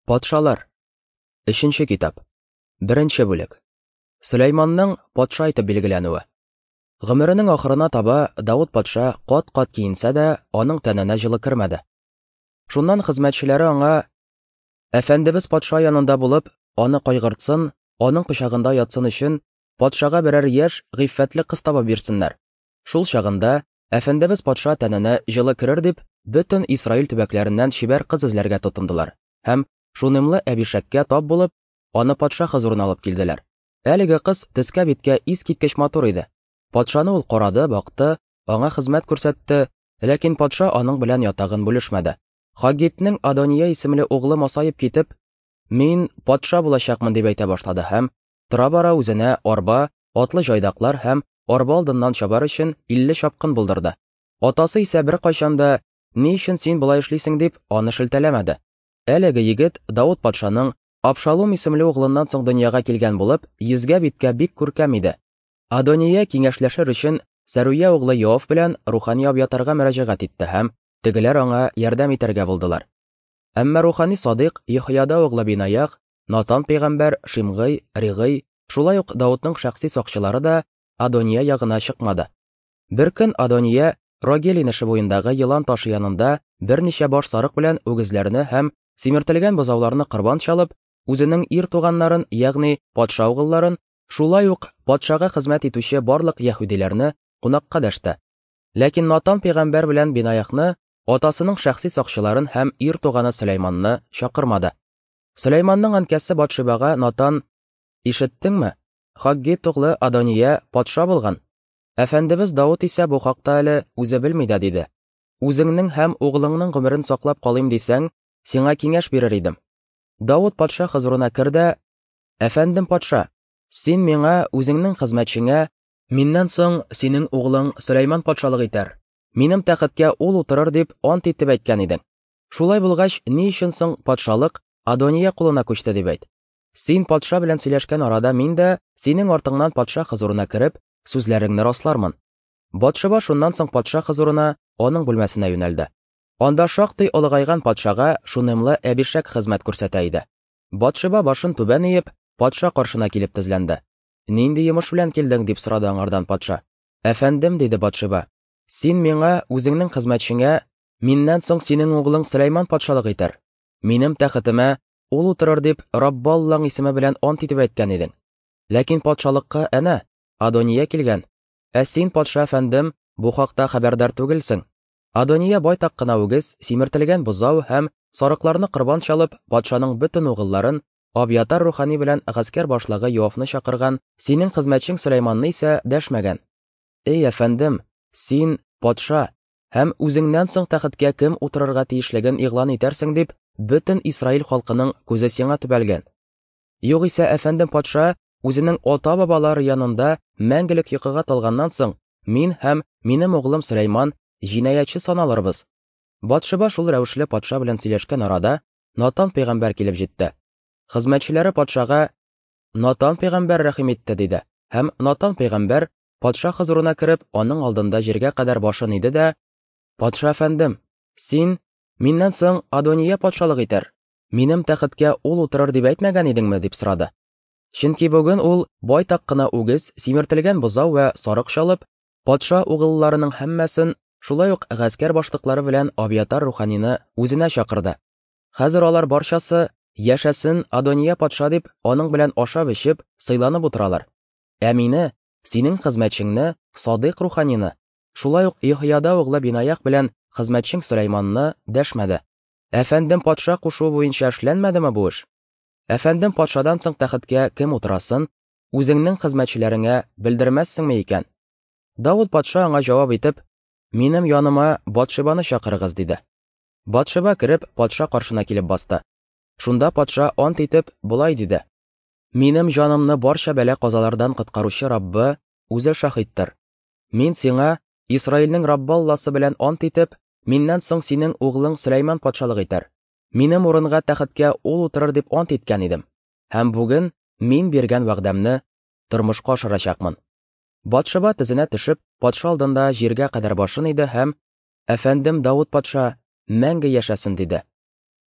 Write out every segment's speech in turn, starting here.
Патшалар. Өченче китап. Беренче бүлек. Сөләйманның патша итеп билгеләнүе. Гомеренең ахырына таба Давыт патша кат-кат киенсә дә, аның тәненә җылы кермәде. Шуннан хезмәтчеләре аңа: "Әфәндебез патша янында булып, аны кайгыртсын, аның кочагында ятсын өчен, патшага берәр яшь, гыйффәтле кыз табып бирсеннәр. Шул чагында әфәндебез патша тәненә җылы керер", дип, бөтен Исраил төбәкләреннән чибәр кыз эзләргә тотындылар һәм Шунемлы Әбишәккә тап булып, аны патша хозурына алып килделәр. Әлеге кыз төскә-биткә искиткеч матур иде. Патшаны ул карады, бакты, аңа хезмәт күрсәтте, ләкин патша аның белән ятагын бүлешмәде. Хаггитнең Адония исемле углы масаеп китеп, "Мин патша булачакмын", дип әйтә башлады һәм тора-бара үзенә арба, атлы җайдаклар һәм арба алдыннан чабар өчен 50 чапкын булдырды. Атасы исә беркайчан да, "Ни өчен син болай эшлисең?" дип, аны шелтәләмәде. Әлеге егет Давыт патшаның Абшалум исемле углыннан соң дөньяга килгән булып, йөзгә-биткә бик күркәм иде. Адония киңәшләшер өчен Сәруя углы Йоав белән рухани Абьятарга мөрәҗәгать итте һәм тегеләр аңа ярдәм итәргә булдылар. Әмма рухани Садыйк, Йехояда углы Бинаях, Натан пәйгамбәр, Шимгый, Ригый, шулай ук Давытның шәхси сакчылары да Адония ягына чыкмады. Бер көн Адония Рогел инеше буендагы елан ташы янында берничә баш сарык белән үгезләрне һәм симертелгән бозауларны корбан чалып, үзенең ир туганнарын, ягъни патша угылларын, шулай ук патшага хезмәт итүче барлык яһүдиләрне кунакка дәште. Ләкин Натан пәйгамбәр белән Бинаяхны, атасының шәхси сакчыларын һәм ир туганы Сөләйманны чакырмады. Сөләйманның әнкәсе Батшибага Натан: "Ишеттеңме? Хаггит углы Адония патша булган. Әфәндебез Давыт исә бу хакта әле үзе белми дә, диде. Үзеңнең һәм углыңның гомерен саклап калыйм дисәң, сиңа киңәш бирер идем. Давыт патша хозурына кер дә: "Әфәндем патша, син миңа, үзеңнең хезмәтчеңә, миннән соң синең углың Сөләйман патшалык итәр, минем тәхеткә ул утырыр дип ант итеп әйткән идең. Шулай булгач, ни өчен соң патшалык Адония кулына күчте дип әйт. Син патша белән сөйләшкән арада мин дә синең артыңнан патша хозурына кереп, сүзләреңне раслармын. Батшеба шуннан соң патша хозурына, аның бүлмәсенә юнәлде. Анда шактый олыгайган патшага шунемлы Әбишәк хезмәт күрсәтә иде. Батшеба башын түбән иеп, патша каршына килеп тезләнде. "Нинди йомыш белән килдең?" дип сорады аңардан патша. "Әфәндем", диде Батшеба. "Син миңа, үзеңнең хезмәтчеңә, миннән соң синең углың Сөләйман патшалык итәр. Минем тәхетемә ул утырыр дип Раббы Аллаң исеме белән ант итеп әйткән идең. Ләкин патшалыкка әнә Адония килгән. Ә син, патша әфәндем, бу хакта хәбәрдар түгелсең. Адония байтак кына үгез, симертелгән бозау һәм сарыкларны корбан чалып, патшаның бөтен угылларын, Абьятар рухани белән гаскәр башлыгы Йоавны чакырган, синең хезмәтчең Сөләйманны исә дәшмәгән. Эй, әфәндем, син, патша, һәм үзеңнән соң тәхеткә кем утырырга тиешлеген игълан итәрсең дип, бөтен Исраил халкының күзе сиңа төбәлгән. Югыйсә, әфәндем патша үзенең ата-бабалары янында мәңгелек йокыга талганнан соң, мин һәм минем углым Сөләйман җинаятьче саналырбыз. Батшеба шул рәвешле патша белән сөйләшкән арада, Натан пәйгамбәр килеп җитте. Хезмәтчеләре патшага: "Натан пәйгамбәр рәхим итте", диде. Һәм Натан пәйгамбәр патша хозурына кереп, аның алдында җиргә кадәр башын иде дә: "Патша әфәндем, син миннән соң Адония патшалык итәр, минем тәхеткә ул утырыр дип әйтмәгән идеңме?" дип сорады. Чөнки бүген ул байтак кына үгез, симертелгән бозау вә сарык чалып, патша угылларының һәммәсен, шулай ук гаскәр башлыклары белән Абьятар руханины үзенә чакырды. Хәзер алар барчасы, яшәсен Адония патша дип, аның белән ашап-эчеп, сыйланып утыралар. Ә мине, синең хезмәтчеңне, Садыйк руханины, шулай ук Йоһояда углы Бинаях белән хезмәтчең Сөләйманны дәшмәде. Әфәндем патша кушуы буенча эшләнмәдеме бу эш? Әфәндем патшадан соң тәхеткә кем утырасын, үзеңнең хезмәтчеләреңә белдермәссеңме икән? Давыт патша аңа җавап итеп: "Минем яныма Батшебаны чакырыгыз", диде. Батшеба кереп, патша каршына килеп басты. Шунда патша ант итеп, болай диде: "Минем җанымны барча бәла-казалардан коткаручы Раббы үзе шаһиттыр. Мин сиңа Исраилнең Раббы Алласы белән ант итеп, миннән соң синең углың Сөләйман патшалык итәр. Минем урынга тәхеткә ул утырыр дип ант иткән идем. Һәм бүген мин биргән вәгъдәмне тормышка ашырачакмын. Батшеба тезенә төшеп, патша алдында җиргә кадәр башын иде һәм: "Әфәндем Давыт патша, мәңге яшәсен", диде.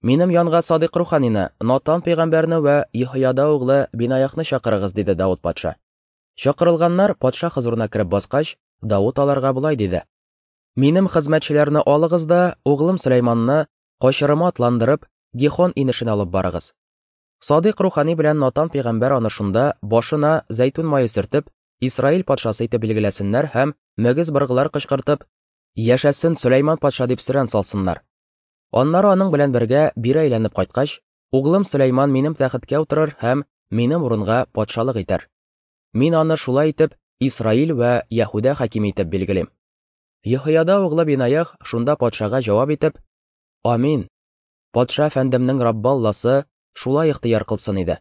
Минем янга Садыйк руханины, Натан пәйгамбәрне вә Еһояда углы Бинаяхны чакырыгыз, диде Давыт патша. Чакырылганнар патша хозурына кереп баскач, Давыт аларга болай диде: Минем хезмәтчеләрне алыгыз да, углым Сөләйманны качырыма атландырып, Гихон инешенә алып барыгыз. Садыйк рухани белән Натан пәйгамбәр аны шунда башына зәйтүн мае сөртеп, Исраил патшасы итеп билгеләсеннәр һәм мөгез быргылар кычкыртып, Яшәсен Сөләйман патша дип сөрән салсыннар. Аннары аның белән бергә бире әйләнеп кайткач, углым Сөләйман минем тәхеткә утырыр һәм минем урынга патшалык итәр. Мин аны шулай итеп Исраил вә Яһүдә хакиме итеп билгелим. Еһояда углы Бинаях шунда патшага җавап итеп, Амин! Патша әфәндемнең Раббы Алласы шулай ихтыяр кылсын иде.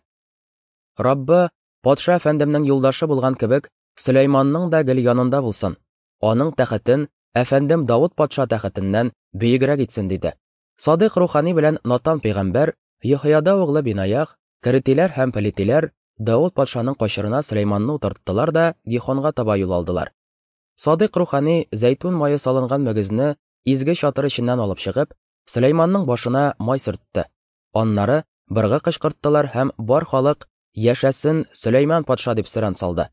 Раббы, патша әфәндемнең юлдашы булган кебек, Сөләйманның да гел янында булсын. Аның тәхетен әфәндем Давыт патша тәхетеннән бөегрәк итсен, диде. Садыйк рухани белән Натан пәйгамбәр, Еһояда углы Бинаях, Керетиләр һәм Пелетиләр Давыт патшаның качырына Сөләйманны утырттылар да Гихонга таба юл алдылар. Садыйк рухани зәйтүн мае салынган мөгезне изге чатыр эченнән алып чыгып, Сөләйманның башына май сөртте. Аннары быргы кычкырттылар һәм бар халык Яшәсен Сөләйман патша дип сөрән салды.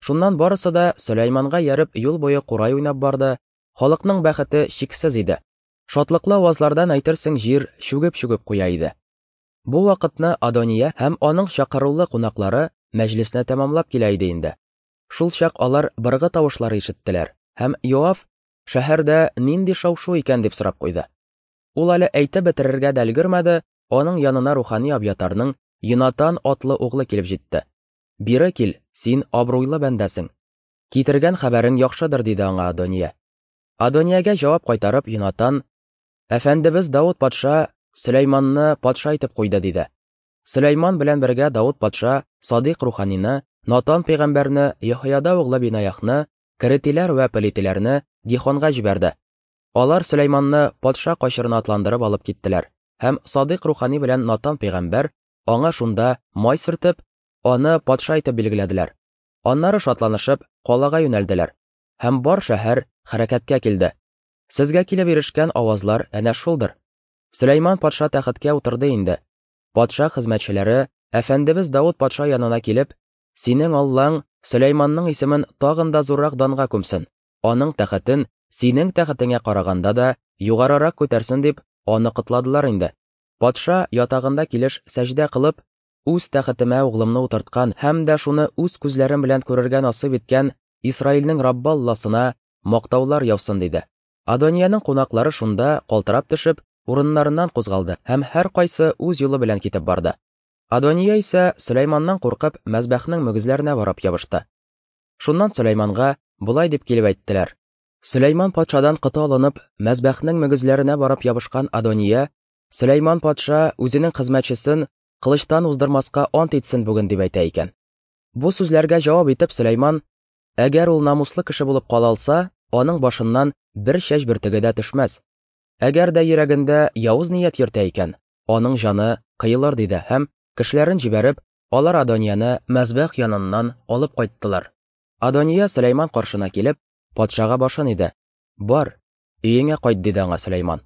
Шуннан барысы да Сөләйманга ияреп юл буе курай уйнап барды, халыкның бәхете чиксез иде. Шатлыклы авазлардан әйтерсең җир чүгеп-чүгеп куя иде. Бу вакытны Адония һәм аның чакырулы кунаклары мәҗлесне тәмамлап килә иде инде. Шул чак алар быргы тавышлары ишеттеләр, һәм Йоав, Шәһәрдә нинди шау-шу икән, дип сорап куйды. Ул әле әйтеп бетерергә дә өлгермәде, аның янына рухани Абьятарның Йонатан атлы углы килеп җитте. Бире кил, син абруйлы бәндәсең. Китергән хәбәрең яхшыдыр, диде аңа Адония. Адониягә җавап кайтарып, Йонатан, Әфәндебез Давыт патша Сөләйманны патша итеп куйды, диде. Сөләйман белән бергә Давыт патша Садыйк руханины, Натан пәйгамбәрне, Еһояда углы Бинаяхны, Керетиләр вә Пелитиләрне Гихонга җибәрде. Алар Сөләйманны патша качырына атландырып алып киттеләр, һәм Садыйк рухани белән Натан пәйгамбәр аңа шунда май сөртеп, аны патша итеп билгеләделәр. Аннары шатланышып, калага юнәлделәр. Һәм бар шәһәр хәрәкәткә килде. Сезгә килеп ирешкән авазлар әнә шулдыр. Сөләйман патша тәхеткә утырды инде. Патша хезмәтчеләре әфәндебез Давыт патша янына килеп, Синең Аллаң Сөләйманның исемен тагын да зуррак данга күмсен, аның тәхетен синең тәхетеңә караганда да югарырак күтәрсен дип, аны котладылар инде. Патша ятагында килеш сәҗдә кылып, Үз тәхетемә углымны утырткан һәм дә шуны үз күзләрем белән күрергә насыйп иткән Исраилнең Раббы Алласына мактаулар яусын, диде. Адониянең кунаклары шунда, калтырап төшеп, урыннарыннан кузгалды һәм һәркайсы үз юлы белән китеп барды. Адония исә, Сөләйманнан куркып, мәзбәхнең мөгезләренә барып ябышты. Шуннан Сөләйманга болай дип килеп әйттеләр, Сөләйман патшадан коты алынып, мәзбәхнең мөгезләренә барып ябышкан Адония, Сөләйман патша үзенең хезмәтчесен кылычтан уздырмаска ант итсен бүген, дип әйтә икән. Бу сүзләргә җавап итеп Сөләйман, әгәр ул намуслы кеше булып кала алса, аның башыннан бер чәч бөртеге дә төшмәс. Әгәр дә йөрәгендә явыз ният йөртә икән, аның җаны кыелыр, диде һәм, кешеләрен җибәреп, алар Адонияне мәзбәх яныннан алып кайттылар. Адония Сөләйман каршына килеп, патшага башын иде. Бар, өеңә кайт, диде аңа Сөләйман.